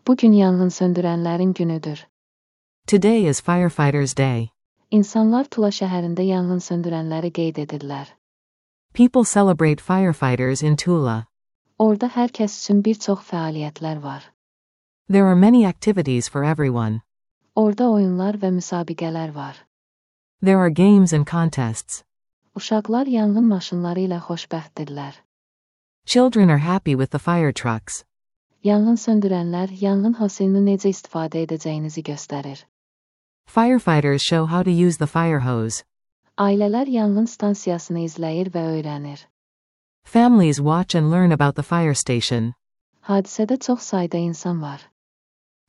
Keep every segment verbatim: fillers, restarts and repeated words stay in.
Bugün yanğın söndürənlərin günüdür. Today is Firefighters Day. İnsanlar Tula şəhərində yanğın söndürənləri qeyd edirlər. People celebrate firefighters in Tula. Orada hər kəs üçün bir çox fəaliyyətlər var. There are many activities for everyone. Orada oyunlar və müsabiqələr var. There are games and contests. Uşaqlar yanğın maşınları ilə xoşbəxtdirlər. Children are happy with the fire trucks. Yanğın söndürənlər yanğın hoselini necə istifadə edəcəyinizi göstərir. Firefighters show how to use the fire hose. Ailələr yanğın stansiyasını izləyir və öyrənir. Families watch and learn about the fire station. Hadisədə çox sayda insan var.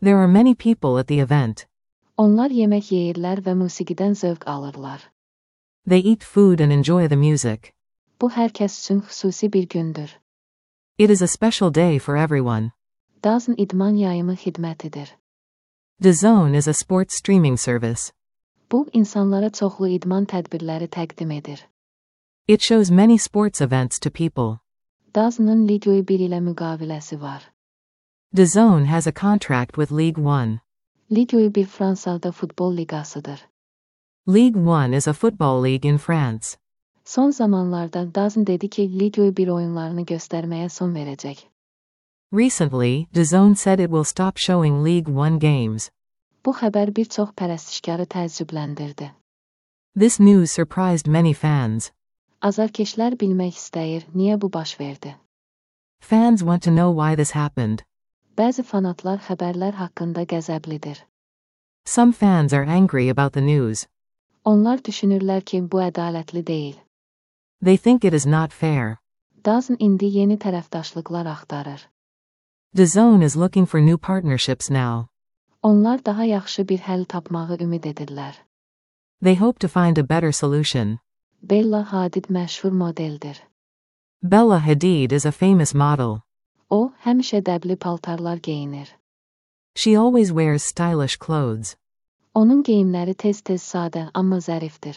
There are many people at the event. Onlar yemək yeyirlər və musiqidən zövq alırlar. They eat food and enjoy the music. Bu hər kəs üçün xüsusi bir gündür. It is a special day for everyone. DAZN idman yayımı xidmətidir. DAZN is a sports streaming service. Bu, insanlara çoxlu idman tədbirləri təqdim edir. It shows many sports events to people. DAZN-ın Ligue bir ilə müqaviləsi var. DAZN has a contract with League One. Ligue bir Fransada futbol liqasıdır. League One is a football league in France. Son zamanlarda DAZN dedi ki, Ligue bir oyunlarını göstərməyə son verəcək. Recently, DAZN said it will stop showing League One games. Bu xəbər bir çox pərəstişkarı təəccübləndirdi. This news surprised many fans. Azarkeşlər bilmək istəyir, niyə bu baş verdi? Fans want to know why this happened. Bəzi fanatlar xəbərlər haqqında qəzəblidir. Some fans are angry about the news. Onlar düşünürlər ki, bu ədalətli deyil. They think it is not fair. DAZN indi yeni tərəfdaşlıqlar axtarır. DAZN is looking for new partnerships now. Onlar daha yaxşı bir həll tapmağı ümid edirlər. They hope to find a better solution. Bella Hadid məşhur modeldir. Bella Hadid is a famous model. O, həmişə dəbli paltarlar geyinir. She always wears stylish clothes. Onun geyimləri tez-tez sadə, amma zərifdir.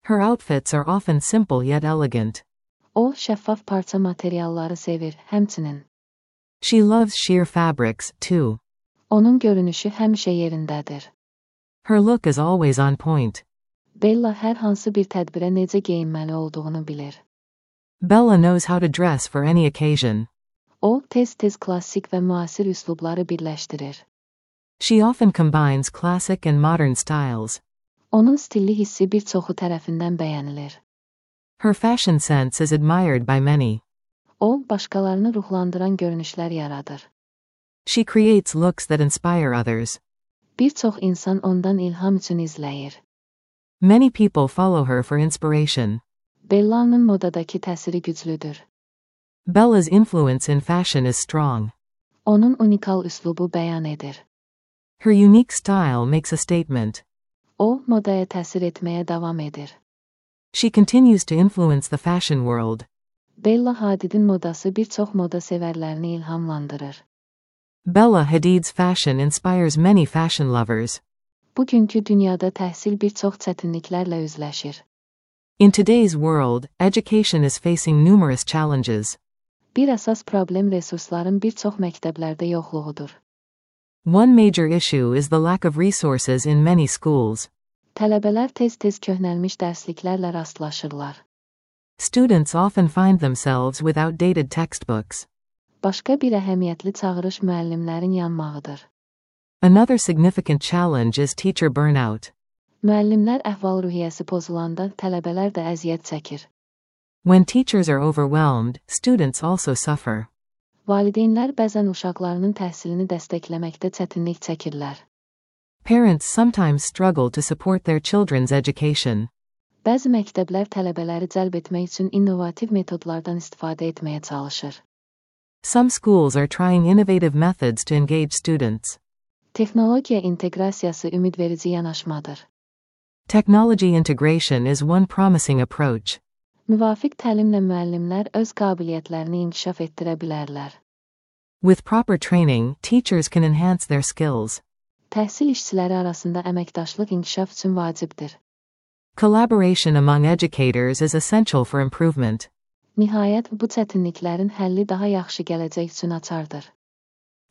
Her outfits are often simple yet elegant. O, şəffaf parça materialları sevir, həmçinin. She loves sheer fabrics, too. Onun görünüşü həmişə yerindədir. Her look is always on point. Bella hər hansı bir tədbirə necə geyinməli olduğunu bilir. Bella knows how to dress for any occasion. O, tez-tez klassik və müasir üslubları birləşdirir. She often combines classic and modern styles. Onun stilli hissi bir çoxu tərəfindən bəyənilir. Her fashion sense is admired by many. O, başqalarını ruhlandıran görünüşlər yaradır. She creates looks that inspire others. Bir çox insan ondan ilham üçün izləyir. Many people follow her for inspiration. Bella'nın modadakı təsiri güclüdür. Bella's influence in fashion is strong. Onun unikal üslubu bəyan edir. Her unique style makes a statement. O, modaya təsir etməyə davam edir. She continues to influence the fashion world. Bella Hadidin modası bir çox moda sevərlərini ilhamlandırır. Bella Hadid's fashion inspires many fashion lovers. Bugünkü dünyada təhsil bir çox çətinliklərlə üzləşir. In today's world, education is facing numerous challenges. Bir əsas problem resursların bir çox məktəblərdə yoxluğudur. One major issue is the lack of resources in many schools. Tələbələr tez-tez köhnəlmiş dərsliklərlə rastlaşırlar. Students often find themselves with outdated textbooks. Başqa bir əhəmiyyətli çağırış müəllimlərin yanmağıdır. Another significant challenge is teacher burnout. Müəllimlər əhval-ruhiyyəsi pozulanda tələbələr də əziyyət çəkir. When teachers are overwhelmed, students also suffer. Valideynlər bəzən uşaqlarının təhsilini dəstəkləməkdə çətinlik çəkirlər. Parents sometimes struggle to support their children's education. Bəzi məktəblər tələbələri cəlb etmək üçün innovativ metodlardan istifadə etməyə çalışır. Some schools are trying innovative methods to engage students. Texnologiya inteqrasiyası ümidverici yanaşmadır. Technology integration is one promising approach. Müvafiq təlimlə müəllimlər öz qabiliyyətlərini inkişaf etdirə bilərlər. With proper training, teachers can enhance their skills. Təhsil işçiləri arasında əməkdaşlıq inkişaf üçün vacibdir. Collaboration among educators is essential for improvement. Nihayət, bu çətinliklərin həlli daha yaxşı gələcək üçün açardır.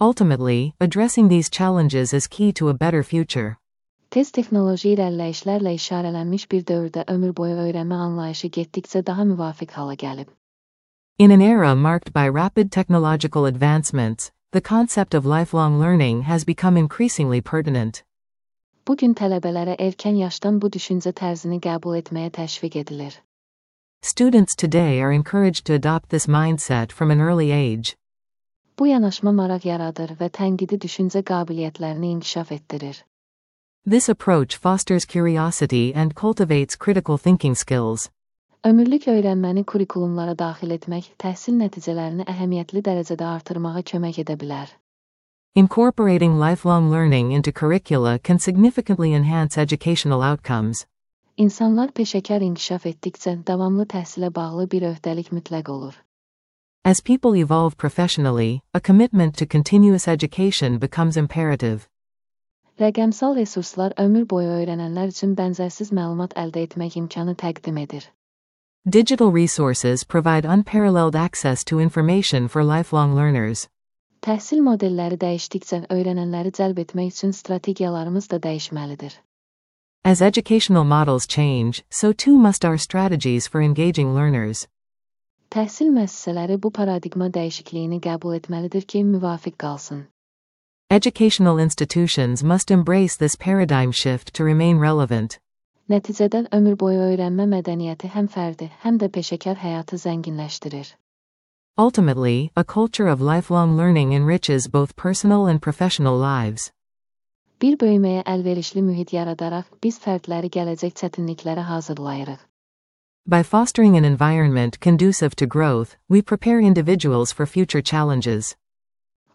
Ultimately, addressing these challenges is key to a better future. Tez texnoloji irəliləyişlərlə işarələnmiş bir dövrdə ömür boyu öyrənmə anlayışı getdikcə daha müvafiq hala gəlib. In an era marked by rapid technological advancements, the concept of lifelong learning has become increasingly pertinent. Bu gün tələbələrə erkən yaşdan bu düşüncə tərzini qəbul etməyə təşviq edilir. Students today are encouraged to adopt this mindset from an early age. Bu yanaşma maraq yaradır və tənqidi düşüncə qabiliyyətlərini inkişaf etdirir. This approach fosters curiosity and cultivates critical thinking skills. Ömürlük öyrənməni kurikulumlara daxil etmək təhsil nəticələrini əhəmiyyətli dərəcədə artırmağa kömək edə bilər. Incorporating lifelong learning into curricula can significantly enhance educational outcomes. İnsanlar peşəkar inkişaf etdikcə davamlı təhsilə bağlı bir öhdəlik mütləq olur. As people evolve professionally, a commitment to continuous education becomes imperative. Rəqəmsal resurslar ömür boyu öyrənənlər üçün bənzərsiz məlumat əldə etmək imkanı təqdim edir. Digital resources provide unparalleled access to information for lifelong learners. Təhsil modelləri dəyişdikcə öyrənənləri cəlb etmək üçün strategiyalarımız da dəyişməlidir. As educational models change, so too must our strategies for engaging learners. Təhsil müəssisələri bu paradigma dəyişikliyini qəbul etməlidir ki, müvafiq qalsın. Educational institutions must embrace this paradigm shift to remain relevant. Nəticədə ömür boyu öyrənmə mədəniyyəti həm fərdi, həm də peşəkar həyatı zənginləşdirir. Ultimately, a culture of lifelong learning enriches both personal and professional lives. Bir böyüməyə əlverişli mühit yaradaraq biz fərdləri gələcək çətinliklərə hazırlayırıq. By fostering an environment conducive to growth, we prepare individuals for future challenges.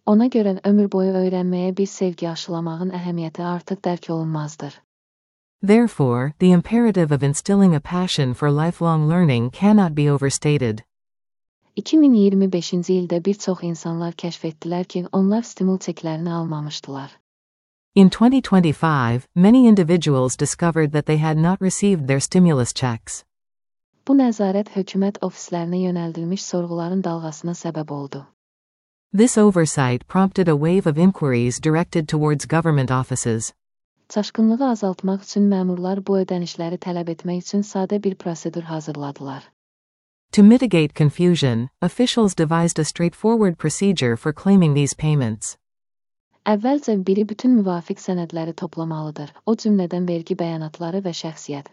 Ona görə ömür boyu öyrənməyə bir sevgi aşılamağın əhəmiyyəti artıq dərk olunmazdır. Therefore, the imperative of instilling a passion for lifelong learning cannot be overstated. iki min iyirmi beşinci ildə bir çox insanlar kəşf etdilər ki, onlar stimul çeklərini almamışdılar. In twenty twenty-five, many individuals discovered that they had not received their stimulus checks. Bu nəzarət hökumət ofislərinə yönəldilmiş sorğuların dalğasına səbəb oldu. This oversight prompted a wave of inquiries directed towards government offices. Çaşqınlığı azaltmaq üçün məmurlar bu ödənişləri tələb etmək üçün sadə bir prosedur hazırladılar. To mitigate confusion, officials devised a straightforward procedure for claiming these payments. Əvvəlcə biri bütün müvafiq sənədləri toplamalıdır, o cümlədən vergi bəyanatları və şəxsiyyət.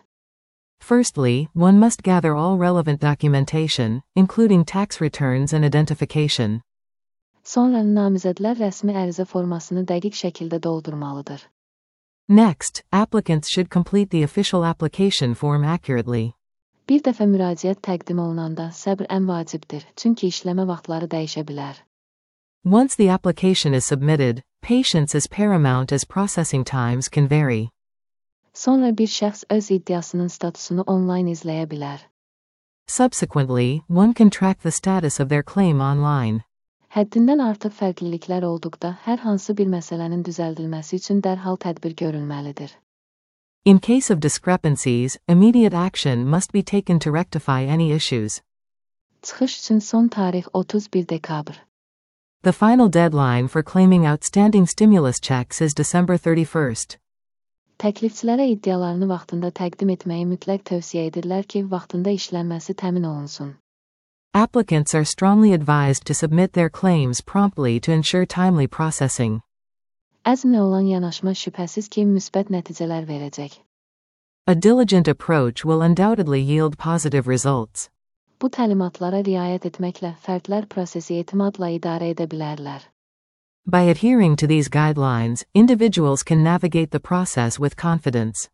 Firstly, one must gather all relevant documentation, including tax returns and identification. Sonra namizədlər rəsmi ərizə formasını dəqiq şəkildə doldurmalıdır. Next, applicants should complete the official application form accurately. Bir dəfə müraciət təqdim olunanda səbr ən vacibdir, çünki işləmə vaxtları dəyişə bilər. Once the application is submitted, patience is paramount as processing times can vary. Sonra bir şəxs öz iddiasının statusunu onlayn izləyə bilər. Subsequently, one can track the status of their claim online. Həddindən artıq fərqliliklər olduqda hər hansı bir məsələnin düzəldilməsi üçün dərhal tədbir görülməlidir. In case of discrepancies, immediate action must be taken to rectify any issues. Çıxış üçün son tarix otuz bir dekabr. The final deadline for claiming outstanding stimulus checks is December thirty-first. Təklifçilərə iddialarını vaxtında təqdim etməyi mütləq tövsiyə edirlər ki, vaxtında işlənməsi təmin olunsun. Applicants are strongly advised to submit their claims promptly to ensure timely processing. Əzmlə olan yanaşma şübhəsiz ki, müsbət nəticələr verəcək. A diligent approach will undoubtedly yield positive results. Bu təlimatlara riayət etməklə fərdlər prosesi etimadla idarə edə bilərlər. By adhering to these guidelines, individuals can navigate the process with confidence.